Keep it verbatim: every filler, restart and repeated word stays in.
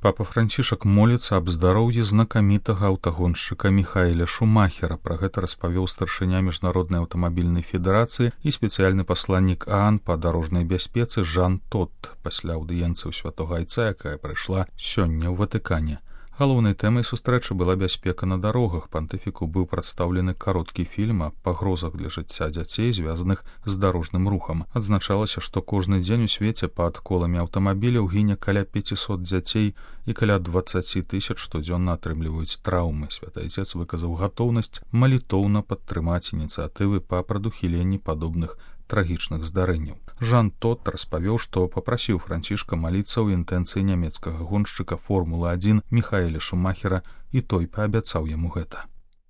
Папа Францішак моліцца аб здароўі знакамітага аўтагоншчыка Міхаэля Шумахера. Пра гэта распавёў старшыня Міжнароднай аўтамабільнай федэрацыі і спецыяльны пасланнік ААН па дарожнай бяспецы Жан Тот пасля аўдыенцыі ў Святога Айца, якая прайшла сёння ў Ватыкане. Галоўнай тэмай сустрэчы была бяспека на дарогах. Пантыфіку быў прадстаўлены кароткі фільм аб пагрозах для жыцця дзяцей, звязаных з дарожным рухам. Адзначалася, што кожны дзень у свеце пад коламі аўтамабіляў гіне каля пяцісот дзяцей і каля дваццаць тысяч штодзённа атрымліваюць траўмы. Святы Айцец выказаў гатоўнасць малітоўна падтрымаць ініцыятывы па прадухіленні падобных трагічных здарэнняў. Жан Тот распавёў, што папрасіў Францішка маліцца ў інтэнцыі нямецкага гоншчыка Формулы адзін Міхаэля Шумахера, і той паабяцаў яму гэта.